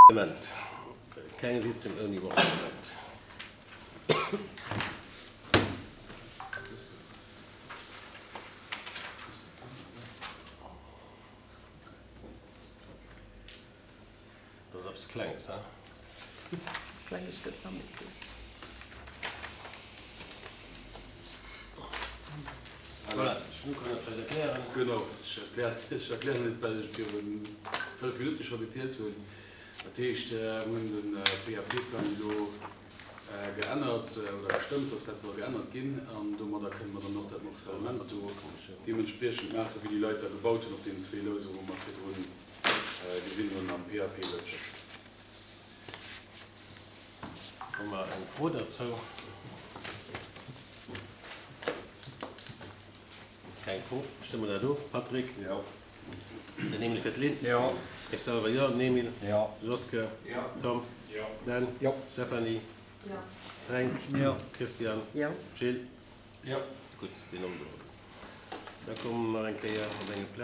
Morcellement. Keng Sitzung ouni Morcellement. Dat ass eppes Klenges, he? Klenges gëtt nach méi kleng. Voilà, ech kann dat vläicht erklären. Genau, ech erklären et, well ech viru 5 Minutte scho gezielt hunn. Dat heescht, mir hunn de PAP-Plang elo geännert oder gestëmmt, dass dat soll geännert ginn. An domadder kënne mer dann och dat Morcellement do deementspriechend maachen, wéi déi Leit da gebaut hunn op deenen zwee Lousen, wou mer virdrun gesinn hunn am PAP-Loutschert. Hu mer eng Fro derzou? Keng Fro. Stëmme mer dat of. Patrick? Jo. Den Emil fir d'Lynn? Jo. Ech selwer jo. Den Emil? Jo. Joske? Jo. Tom? Jo. Dan? Jo. Stéphanie? Jo. Fränk? Jo. Christian? Jo. Gilles? Jo. Gutt, deen Omdo. Da komme mer nach eng Kéier op enge Plaz.